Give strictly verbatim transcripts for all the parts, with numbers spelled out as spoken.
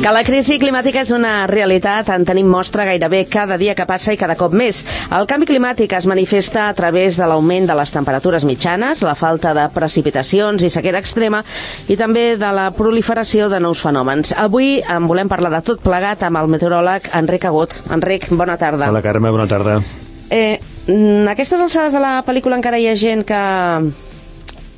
Que la crisi climàtica és una realitat en tenim mostra gairebé cada dia que passa i cada cop més. El canvi climàtic es manifesta a través de l'augment de les temperatures mitjanes, la falta de precipitacions i sequera extrema i també de la proliferació de nous fenòmens. Avui en volem parlar de tot plegat amb el meteoròleg Enric Agut. Enric, bona tarda. Hola, Carme, bona tarda. Eh, a aquestes alçades de la pel·lícula encara hi ha gent que...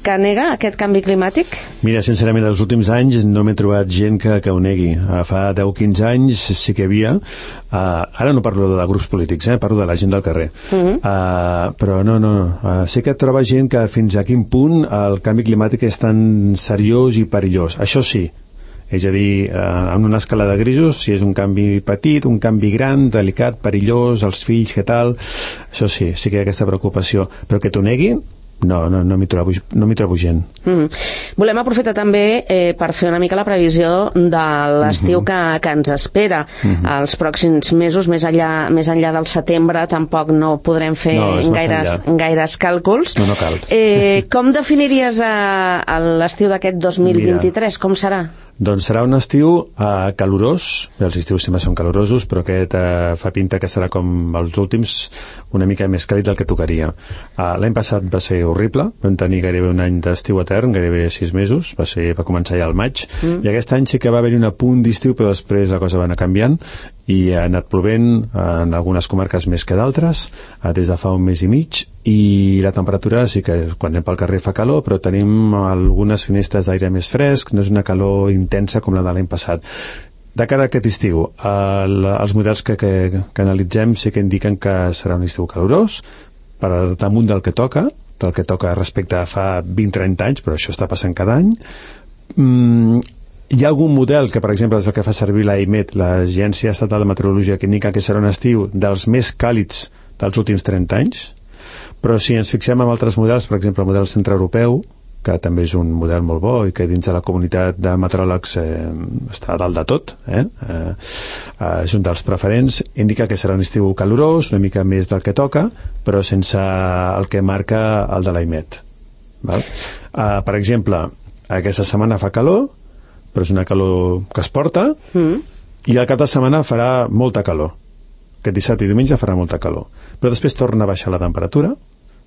que nega aquest canvi climàtic? Mira, sincerament, els últims anys no m'he trobat gent que, que ho negui. Uh, fa deu o quinze anys sí que hi havia. Uh, ara no parlo de grups polítics, eh? Parlo de la gent del carrer. Uh -huh. uh, però no, no. Uh, sí que troba gent que fins a quin punt el canvi climàtic és tan seriós i perillós. Això sí. És a dir, eh, en una escala de grisos, si és un canvi petit, un canvi gran, delicat, perillós, els fills, què tal, això sí, sí que hi ha aquesta preocupació. Però que t'ho neguin, no, no, no m'hi trobo, no m'hi trobo gent. Mm. Volem aprofitar també eh, per fer una mica la previsió de l'estiu mm -hmm. que, que ens espera. Mm -hmm. Els pròxims mesos, més enllà, més enllà del setembre, tampoc no podrem fer no, gaires, gaires càlculs. No, no cal. Eh, com definiries eh, l'estiu d'aquest dos mil vint-i-tres? Com serà? Doncs serà un estiu uh, calorós, bé, els estius sempre són calorosos, però aquest uh, fa pinta que serà com els últims, una mica més càlid del que tocaria. Uh, L'any passat va ser horrible, vam tenir gairebé un any d'estiu etern, gairebé sis mesos, va, ser, va començar ja al maig, mm. i aquest any sí que va haver-hi un apunt d'estiu, però després la cosa va anar canviant, i ha anat plovent en algunes comarques més que d'altres, uh, des de fa un mes i mig, i la temperatura sí que quan anem pel carrer fa calor, però tenim algunes finestres d'aire més fresc, no és una calor intensa com la de l'any passat. De cara a aquest estiu, el, els models que, que, que analitzem sí que indiquen que serà un estiu calorós, per damunt del que toca, del que toca respecte a fa vint a trenta anys, però això està passant cada any. Mm, hi ha algun model que, per exemple, és el que fa servir l'A I M E T, l'Agència Estatal de Meteorologia, que indica que serà un estiu dels més càlids dels últims trenta anys, però si ens fixem en altres models, per exemple el model centreeuropeu, que també és un model molt bo i que dins de la comunitat de meteoròlegs eh, està a dalt de tot, eh? Eh, eh, és un dels preferents, indica que serà un estiu calorós, una mica més del que toca, però sense el que marca el de l'A I M E T. Val? Eh, per exemple, aquesta setmana fa calor, però és una calor que es porta, mm. i al cap de setmana farà molta calor. Aquest dissabte i diumenge farà molta calor. Però després torna a baixar la temperatura,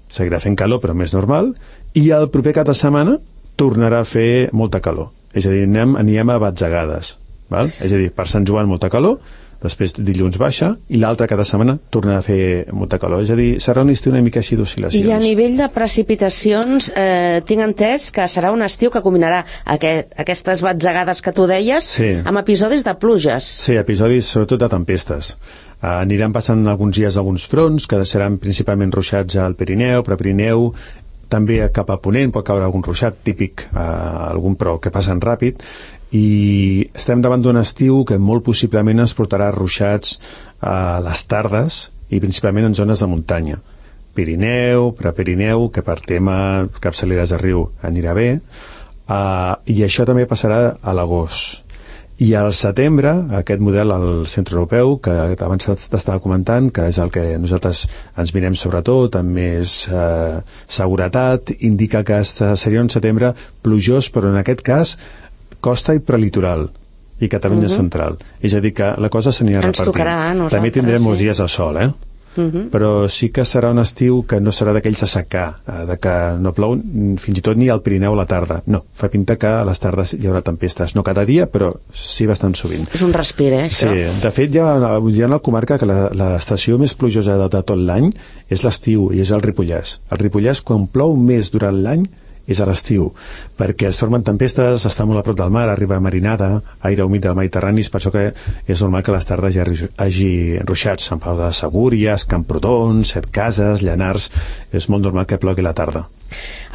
seguirà fent calor però més normal, i el proper cap de setmana tornarà a fer molta calor. És a dir, anem, anem a batzegades. Val? És a dir, per Sant Joan molta calor, després dilluns baixa, i l'altre cada setmana tornarà a fer molta calor. És a dir, serà un estiu una mica així d'oscil·lacions. I a nivell de precipitacions, eh, tinc entès que serà un estiu que combinarà aquest, aquestes batzegades que tu deies sí. amb episodis de pluges. Sí, episodis sobretot de tempestes. Uh, aniran passant alguns dies alguns fronts que seran principalment ruixats al Pirineu, però Pirineu també cap a Ponent pot caure algun ruixat típic, uh, algun però que passen ràpid, i estem davant d'un estiu que molt possiblement ens portarà ruixats a les tardes i principalment en zones de muntanya. Pirineu, Prepirineu, que per tema capçaleres de riu anirà bé, uh, i això també passarà a l'agost. I al setembre, aquest model al centre europeu, que abans t'estava comentant, que és el que nosaltres ens mirem sobretot, amb més eh, seguretat, indica que seria un setembre plujós, però en aquest cas costa i prelitoral, i Catalunya uh-huh. central. És a dir, que la cosa s'anirà repartint. Ens tocarà a nosaltres. També tindrem sí. molts dies de sol, eh? Uh-huh. Però sí que serà un estiu que no serà d'aquells a secar, de que no plou fins i tot ni al Pirineu a la tarda. No, fa pinta que a les tardes hi haurà tempestes, no cada dia, però sí bastant sovint. És un respir, eh, això? Sí, de fet hi ha, hi ha una comarca que l'estació més plujosa de, de tot l'any és l'estiu, i és el Ripollès. El Ripollès, quan plou més durant l'any, és a l'estiu, perquè es formen tempestes, està molt a prop del mar, arriba marinada, aire humit del Mediterrani, per això que és normal que a les tardes hi hagi ruixats. Sant Pau de Segúries, Camprodon, Setcases, Llanars, és molt normal que plogui la tarda.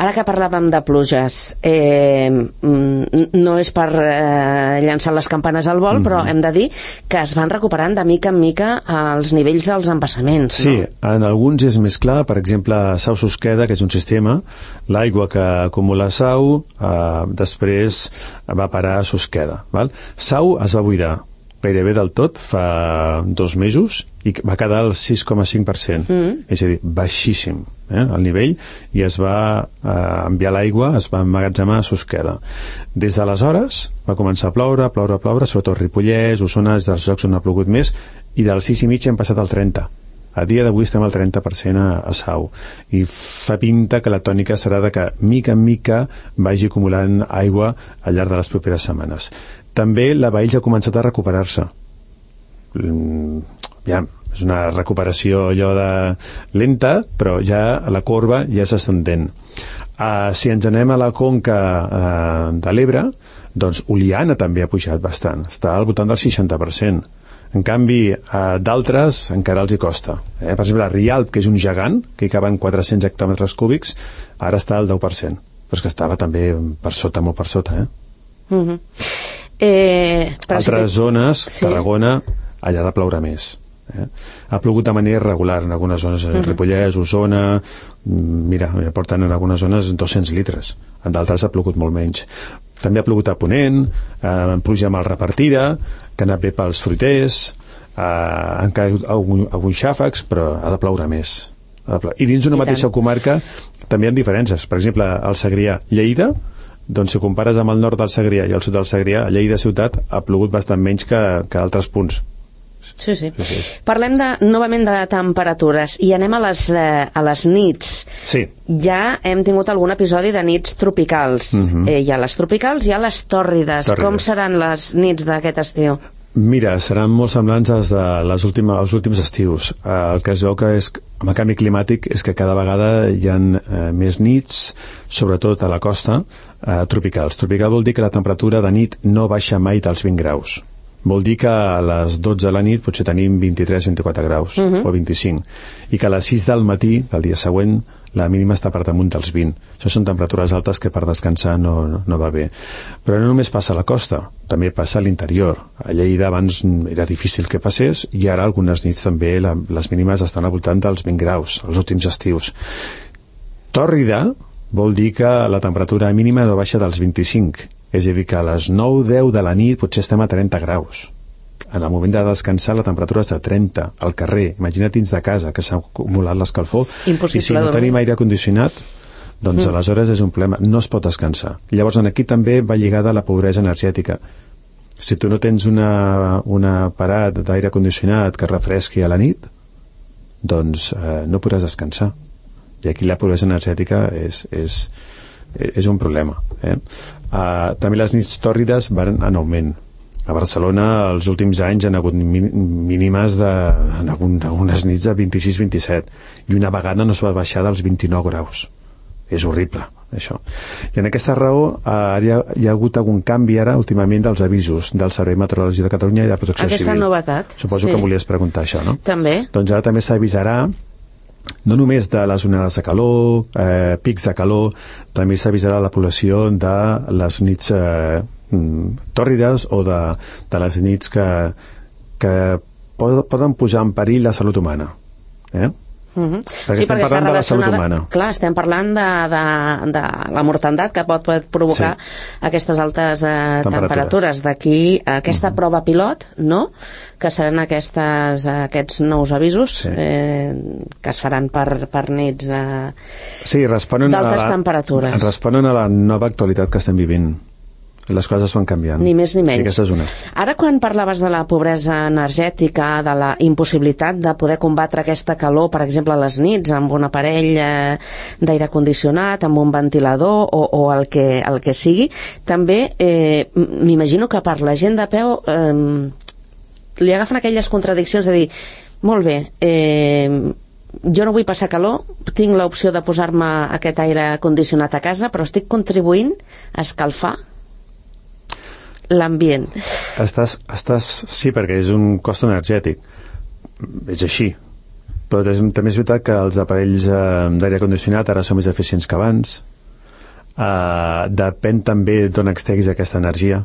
Ara que parlàvem de pluges, eh, no és per eh, llançar les campanes al vol, mm-hmm. però hem de dir que es van recuperant de mica en mica els nivells dels embassaments. Sí, no? En alguns és més clar, per exemple, Sau-Susqueda, que és un sistema, l'aigua que acumula Sau, eh, després va parar a Susqueda. Val? Sau es va buidar gairebé del tot fa dos mesos i va quedar al sis coma cinc per cent, mm. és a dir, baixíssim. eh, al nivell, i es va eh, enviar l'aigua, es va emmagatzemar a Susqueda. Des d'aleshores va començar a ploure, ploure, ploure, sobretot Ripollès, Osona, és dels llocs on ha plogut més, i del sis i mig hem passat al trenta. A dia d'avui estem al trenta per cent a, a Sau, i fa pinta que la tònica serà de que mica en mica vagi acumulant aigua al llarg de les properes setmanes. També la Baells ha començat a recuperar-se. Mm, ja, és una recuperació allò de lenta, però ja la corba ja s'estendent. Uh, si ens anem a la conca uh, de l'Ebre, doncs Oliana també ha pujat bastant, està al voltant del seixanta per cent. En canvi, uh, d'altres encara els hi costa. Eh? Per exemple, Rialp, que és un gegant, que hi caben quatre-cents hectòmetres cúbics, ara està al deu per cent, però és que estava també per sota, molt per sota. Eh? Uh-huh. eh, Altres si... zones, sí. Tarragona, allà ha de ploure més. Eh? Ha plogut de manera irregular en algunes zones, uh-huh. Ripollès, Osona, mira, porten en algunes zones dos-cents litres, en d'altres ha plogut molt menys. També ha plogut a Ponent, eh, pluja mal repartida, que ha anat bé pels fruiters, eh, han caigut algun, alguns xàfecs, però ha de ploure més. Ha de ploure. I dins una mateixa comarca també hi ha diferències. Per exemple, al Segrià, Lleida, doncs si compares amb el nord del Segrià i el sud del Segrià, Lleida ciutat ha plogut bastant menys que, que altres punts. Sí, sí. sí, sí. Parlem de, novament de temperatures i anem a les, eh, a les nits. Sí. Ja hem tingut algun episodi de nits tropicals. Uh-huh. eh, hi ha les tropicals i hi ha les tòrrides. tòrrides. Com seran les nits d'aquest estiu? Mira, seran molt semblants als de les últimes, els últims estius. Eh, el que es veu que és, amb el canvi climàtic és que cada vegada hi ha eh, més nits, sobretot a la costa, eh, tropicals. Tropical vol dir que la temperatura de nit no baixa mai dels vint graus. Vol dir que a les dotze de la nit potser tenim vint-i-tres vint-i-quatre graus, uh-huh. o vint-i-cinc, i que a les sis del matí del dia següent la mínima està per damunt dels vint. Això són temperatures altes que per descansar no, no, no va bé. Però no només passa a la costa, també passa a l'interior. A Lleida abans era difícil que passés i ara algunes nits també la, les mínimes estan al voltant dels vint graus, els últims estius. Tòrrida vol dir que la temperatura mínima no baixa dels vint-i-cinc, és a dir, que a les nou deu de la nit potser estem a trenta graus. En el moment de descansar la temperatura és de trenta, al carrer. Imagina't dins de casa, que s'ha acumulat l'escalfor. Impossible. I si no tenim aire condicionat, doncs mm. aleshores és un problema. No es pot descansar. Llavors, aquí també va lligada a la pobresa energètica. Si tu no tens una, una aparat d'aire condicionat que refresqui a la nit, doncs eh, no podràs descansar. I aquí la pobresa energètica és, és, és un problema. Eh? Uh, també les nits tòrrides van en augment. A Barcelona els últims anys han hagut mínimes de, en algunes nits de vint-i-sis vint-i-set, i una vegada no es va baixar dels vint-i-nou graus. És horrible, això. I en aquesta raó uh, hi, ha, hi ha hagut algun canvi ara últimament dels avisos del Servei Meteorològic de Catalunya i de Protecció Aquesta Civil. Aquesta novetat. Suposo sí. que em volies preguntar això, no? També. Doncs ara també s'avisarà no només de les onades de calor, eh, pics de calor, també s'avisarà la població de les nits eh, tòrrides o de, de les nits que, que poden posar en perill la salut humana. Eh? Uh-huh. Perquè sí, estem perquè parlant de la salut humana. Clar, estem parlant de, de, de la mortandat que pot, pot provocar sí. aquestes altes eh, temperatures. temperatures. D'aquí aquesta uh-huh. prova pilot, no?, que seran aquestes, aquests nous avisos sí. eh, que es faran per, per nits eh, sí, d'altes temperatures. Responen a la nova actualitat que estem vivint. Les coses van canviant. Ni més ni menys. I aquesta és una. Ara, quan parlaves de la pobresa energètica, de la impossibilitat de poder combatre aquesta calor, per exemple, a les nits, amb un aparell eh, d'aire condicionat, amb un ventilador o, o el, que, el que sigui, també eh, m'imagino que per la gent de peu eh, li agafen aquelles contradiccions de dir, molt bé, eh, jo no vull passar calor, tinc l'opció de posar-me aquest aire condicionat a casa, però estic contribuint a escalfar l'ambient. Estàs, estàs, sí, perquè és un cost energètic. És així. Però és, també és veritat que els aparells eh, d'aire condicionat ara són més eficients que abans. Eh, depèn també d'on extreguis aquesta energia.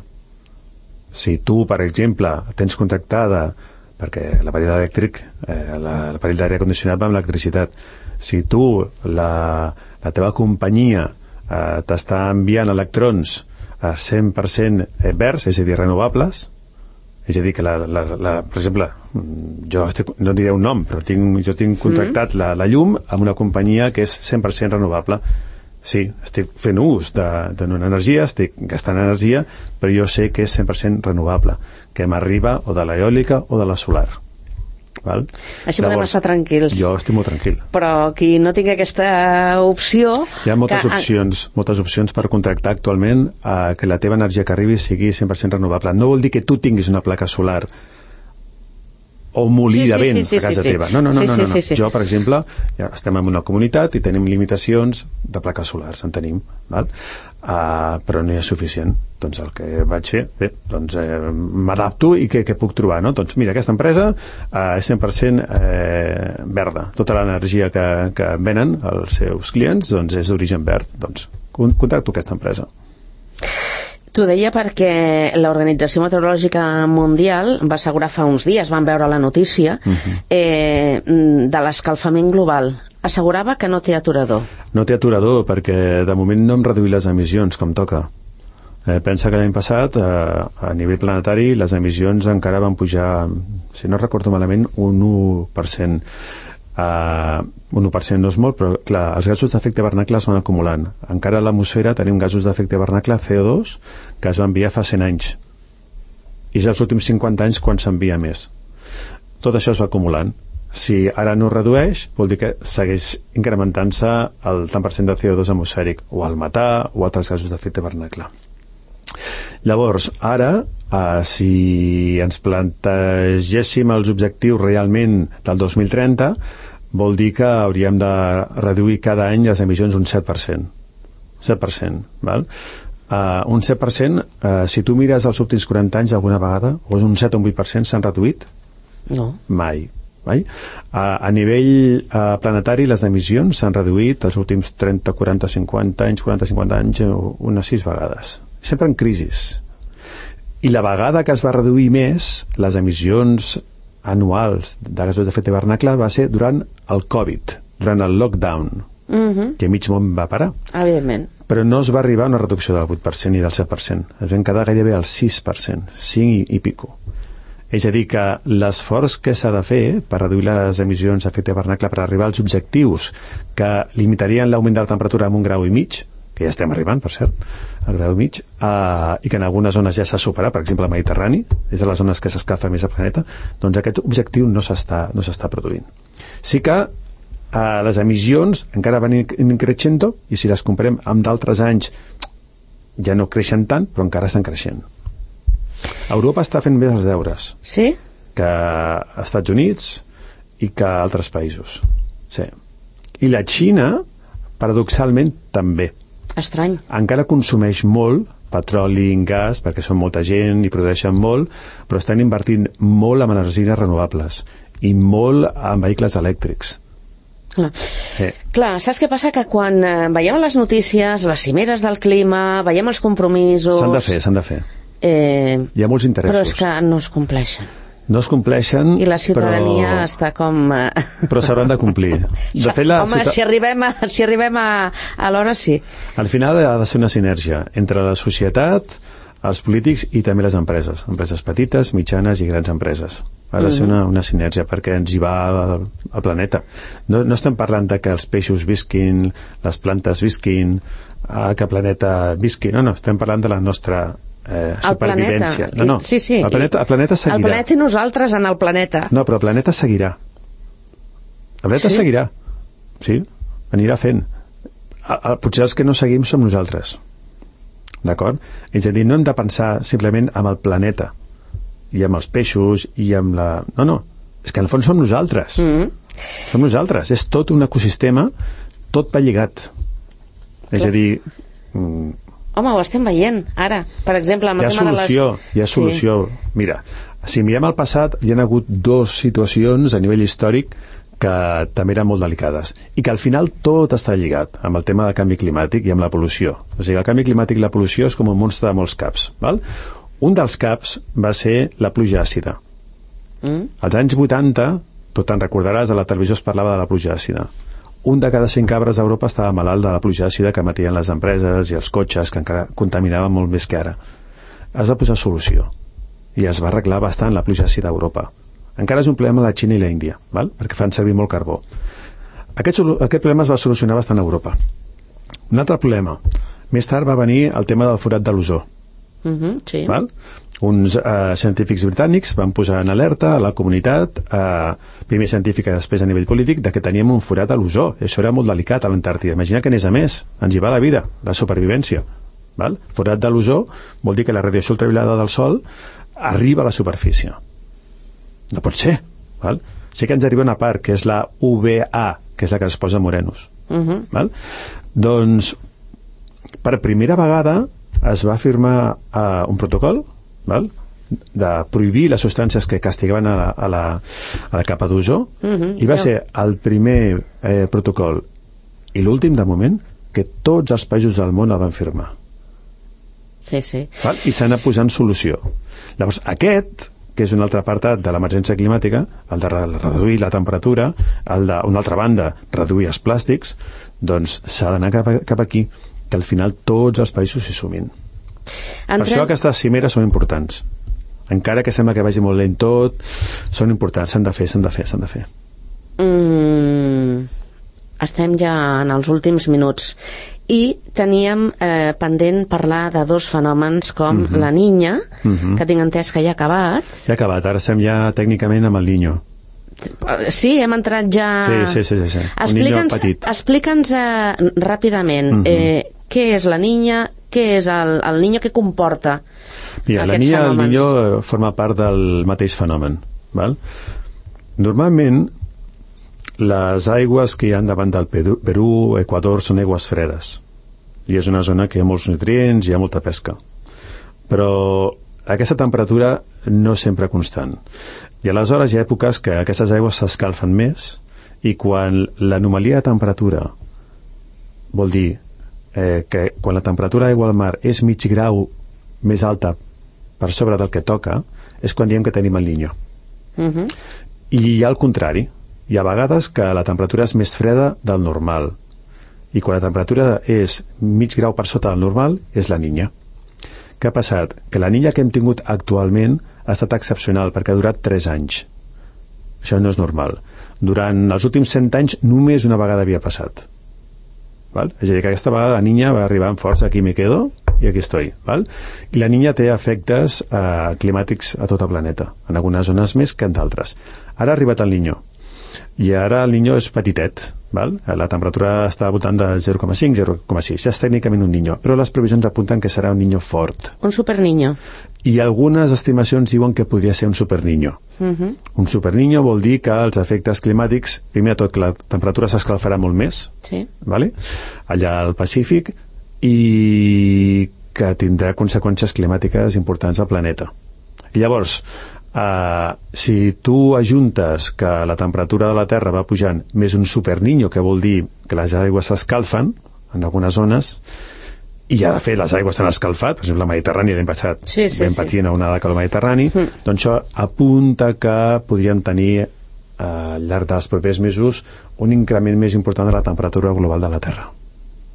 Si tu, per exemple, tens contractada, perquè l'aparell elèctric, eh, l'aparell d'aire condicionat va amb l'electricitat, si tu, la, la teva companyia eh, t'està enviant electrons cent per cent verds, és a dir, renovables, és a dir, que la, la, la, per exemple, jo estic, no diré un nom, però tinc, jo tinc contractat mm. la, la llum amb una companyia que és cent per cent renovable. Sí, estic fent ús d'una energia, estic gastant energia, però jo sé que és cent per cent renovable, que m'arriba o de l'eòlica o de la solar. Val? Així podem estar tranquils. Jo estic molt tranquil. Però qui no tingui aquesta opció... Hi ha moltes que... opcions, moltes opcions per contractar actualment eh, que la teva energia que arribi sigui cent per cent renovable. No vol dir que tu tinguis una placa solar o un molí sí, sí, de vent sí, sí, a casa sí, sí. teva. No, no, no, sí, no, no. Sí, sí, sí. Jo, per exemple, ja estem en una comunitat i tenim limitacions de plaques solars, en tenim, val? Uh, però no hi és suficient. Doncs el que vaig fer, bé, doncs eh, m'adapto i què, què puc trobar, no? Doncs mira, aquesta empresa uh, és cent per cent eh, verda. Tota l'energia que, que venen als seus clients doncs és d'origen verd. Doncs contracto aquesta empresa. T'ho deia perquè l'Organització Meteorològica Mundial va assegurar fa uns dies, van veure la notícia, uh-huh. eh, de l'escalfament global. Assegurava que no té aturador. No té aturador perquè de moment no hem reduït les emissions com toca. Eh, pensa que l'any passat, eh, a nivell planetari, les emissions encara van pujar, si no recordo malament, un u per cent. Uh, un u per cent no és molt, però clar, els gasos d'efecte hivernacle es van acumulant. Encara a l'atmosfera tenim gasos d'efecte hivernacle C O dos que es va enviar fa cent anys i és els últims cinquanta anys quan s'envia més. Tot això es va acumulant. Si ara no es redueix, vol dir que segueix incrementant-se el tant per cent de C O dos atmosfèric, o el metà o altres gasos d'efecte hivernacle. Llavors, ara, eh, si ens plantegéssim els objectius realment del dos mil trenta, vol dir que hauríem de reduir cada any les emissions un set per cent. set per cent, val? Uh, un set per cent, uh, si tu mires els últims quaranta anys alguna vegada, o és un set o un vuit per cent s'han reduït? No. Mai. Mai? Uh, a nivell uh, planetari, les emissions s'han reduït els últims trenta, quaranta, cinquanta anys, quaranta, cinquanta anys, unes sis vegades. Sempre en crisis. I la vegada que es va reduir més les emissions anuals de gasos d'efecte hivernacle va ser durant el Covid, durant el lockdown, uh-huh. que mig món va parar. Evidentment. Però no es va arribar a una reducció del vuit per cent ni del set per cent. Es van quedar gairebé al sis per cent, cinc i, i pico. És a dir, que l'esforç que s'ha de fer per reduir les emissions d'efecte hivernacle per arribar als objectius que limitarien l'augment de la temperatura amb un grau i mig, que ja estem arribant, per cert, al grau i mig, uh, i que en algunes zones ja s'ha superat, per exemple, el Mediterrani, és de les zones que s'escalfa més al planeta, doncs aquest objectiu no s'està no s'està produint. Sí que uh, les emissions encara van increixendo, i si les comparem amb d'altres anys, ja no creixen tant, però encara estan creixent. Europa està fent més els deures. Sí? Que als Estats Units i que altres països. Sí. I la Xina, paradoxalment, també. Estrany. Encara consumeix molt petroli i gas, perquè són molta gent i produeixen molt, però estan invertint molt en energies renovables i molt en vehicles elèctrics. Clar. Eh. Clar, saps què passa? Que quan eh, veiem les notícies, les cimeres del clima, veiem els compromisos... S'han de fer, s'han de fer. Eh, Hi ha molts interessos. Però és que no es compleixen. No es compleixen, i la ciutadania però... està com... Però s'hauran de complir. De fet, la Home, ciutat... si arribem, a, si arribem a, a l'hora, sí. Al final ha de ser una sinergia entre la societat, els polítics i també les empreses. Empreses petites, mitjanes i grans empreses. Ha de ser una, una sinergia perquè ens hi va al, al planeta. No, no estem parlant de que els peixos visquin, les plantes visquin, que el planeta visqui. No, no, estem parlant de la nostra... Eh, supervivència. No, no, sí, sí. El planeta, el planeta seguirà. El planeta i nosaltres en el planeta. No, però el planeta seguirà. El planeta sí? seguirà. Sí, anirà fent. A, a, potser els que no seguim som nosaltres. D'acord? És a dir, no hem de pensar simplement amb el planeta i amb els peixos i amb la... No, no. És que en el fons som nosaltres. Mm. Som nosaltres. És tot un ecosistema, tot va lligat. És a dir... Mm, Home, ho estem veient, ara. Per exemple, amb hi ha el tema solució, de les... hi ha solució. Sí. Mira, si mirem al passat, hi ha hagut dues situacions a nivell històric que també eren molt delicades i que al final tot està lligat amb el tema del canvi climàtic i amb la pol·lució. O sigui, el canvi climàtic i la pol·lució és com un monstre de molts caps. Val? Un dels caps va ser la pluja àcida. Mm. Als anys vuitanta, tu te'n recordaràs, a la televisió es parlava de la pluja àcida. Un de cada cinc arbres d'Europa estava malalt de la pluja àcida que emetien les empreses i els cotxes, que encara contaminaven molt més que ara. Es va posar solució i es va arreglar bastant la pluja àcida a Europa. Encara és un problema a la Xina i la Índia, val? Perquè fan servir molt carbó. Aquest, aquest problema es va solucionar bastant a Europa. Un altre problema. Més tard va venir el tema del forat de l'ozó. Uh-huh, sí. Val? Uns eh, científics britànics van posar en alerta a la comunitat, eh, primer científica i després a nivell polític, de que teníem un forat a l'ozó. Això era molt delicat a l'Antàrtida. Imagina que anés a més. Ens hi va la vida, la supervivència. Val? Forat de l'ozó vol dir que la radiació ultraviolada del Sol arriba a la superfície. No pot ser. Val? Sí que ens arriba una part, que és la U V A, que és la que es posa morenos. Uh-huh. Val? Doncs, per primera vegada es va firmar uh, un protocol, val? De prohibir les substàncies que castigaven a la, a la, a la capa d'ozó, uh-huh, i va yeah. ser el primer eh, protocol i l'últim, de moment, que tots els països del món el van firmar. Sí, sí. Val? I s'ha anat posant solució. Llavors, aquest, que és un altre apartat de l'emergència climàtica, el de reduir la temperatura, el de, una altra banda, reduir els plàstics, doncs s'ha d'anar cap, cap aquí, que al final tots els països s'hi sumin. Entrem... Per això aquestes cimeres són importants. Encara que sembla que vagi molt lent tot, són importants, s'han de fer, s'han de fer, s'han de fer. Mm, estem ja en els últims minuts i teníem eh, pendent parlar de dos fenòmens com uh-huh. la Niña, uh-huh. que tinc entès que ja ha acabat. Ja ha acabat, ara estem ja tècnicament amb el Niño. Sí, hem entrat ja... Sí, sí, sí, sí, sí. Explica'ns, explica'ns eh, ràpidament uh-huh. eh, què és la Niña, què és el, el Niño, què comporta Mira, aquests la Niña, fenòmens. El Niño forma part del mateix fenomen. Val? Normalment, les aigües que hi ha davant del Perú, Perú, Equador, són aigües fredes. I és una zona que hi ha molts nutrients, hi ha molta pesca. Però aquesta temperatura no és sempre constant. I aleshores hi ha èpoques que aquestes aigües s'escalfen més i quan l'anomalia de temperatura vol dir eh, que quan la temperatura d'aigua al mar és mig grau més alta per sobre del que toca, és quan diem que tenim el Niño. Uh-huh. I hi ha el contrari. Hi ha vegades que la temperatura és més freda del normal. I quan la temperatura és mig grau per sota del normal, és la Niña. Què ha passat? Que la Niña que hem tingut actualment ha estat excepcional perquè ha durat tres anys. Això no és normal. Durant els últims cent anys només una vegada havia passat. Val? És a dir, que aquesta vegada la Niña va arribar amb força, aquí me quedo i aquí estoy. Val? I la Niña té efectes eh, climàtics a tot el planeta, en algunes zones més que en d'altres. Ara ha arribat el Niño. I ara el Niño és petitet, val? La temperatura està al voltant de zero coma cinc, zero coma sis, ja és tècnicament un Niño, però les previsions apunten que serà un Niño fort. Un superniño. I algunes estimacions diuen que podria ser un superniño. Uh-huh. Un superniño vol dir que els efectes climàtics, primer de tot que la temperatura s'escalfarà molt més, sí. Vale? Allà al Pacífic, i que tindrà conseqüències climàtiques importants al planeta. I llavors, Uh, si tu ajuntes que la temperatura de la Terra va pujant més un superniño, que vol dir que les aigües s'escalfen en algunes zones, i ja de fet les aigües s'han escalfat, per exemple la Mediterrània l'hem passat sí, sí, ben patint sí. a una calor mediterrani, mm. doncs això apunta que podríem tenir uh, al llarg dels propers mesos un increment més important de la temperatura global de la Terra,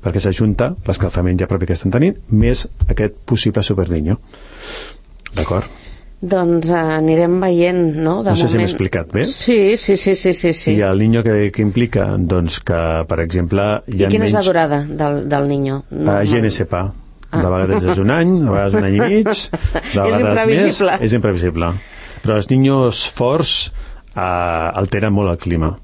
perquè s'ajunta l'escalfament ja propi que estem tenint més aquest possible superniño. D'acord? Doncs uh, anirem veient, no? De no sé moment... si m'he explicat bé. Sí, sí, sí, sí, sí, sí. I el Niño que, que implica, doncs, que, per exemple... I quina menys... és la durada del, del Niño? No, uh, G N S P A. Ah. De vegades és un any, de vegades un any i mig, de vegades és imprevisible. Més, és imprevisible. Però els Niños forts uh, alteren molt el clima.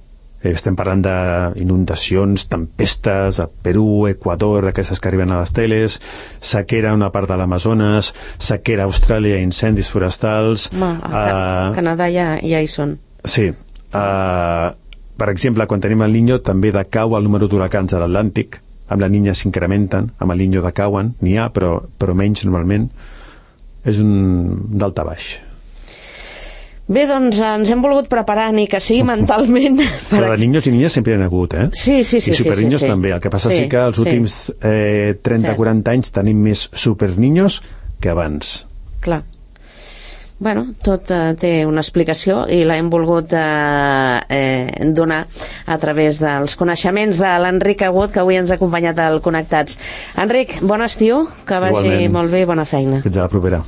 Estem parlant d'inundacions, tempestes a Perú, Equador, aquestes que arriben a les teles, sequera a una part de l'Amazones, sequera a Austràlia, incendis forestals... Ma, a uh, Canadà ja, ja hi són. Sí. Uh, per exemple, quan tenim el Niño també decau el número d'huracans a l'Atlàntic, amb la Niña s'incrementen, amb el Niño decauen, n'hi ha, però, però menys normalment. És un d'alta baix. Bé, doncs ens hem volgut preparar, ni que sigui mentalment. Per Però de niños i niñas sempre hi ha hagut, eh? Sí, sí, sí. I superniños sí, sí, sí. també. El que passa sí, sí que els sí. últims eh, trenta a quaranta anys tenim més superniños que abans. Clar. Bueno, tot eh, té una explicació i l'hem volgut eh, eh, donar a través dels coneixements de l'Enric Agut, que avui ens ha acompanyat al Connectats. Enric, bon estiu, que vagi Igualment. Molt bé, bona feina. Fins a la propera.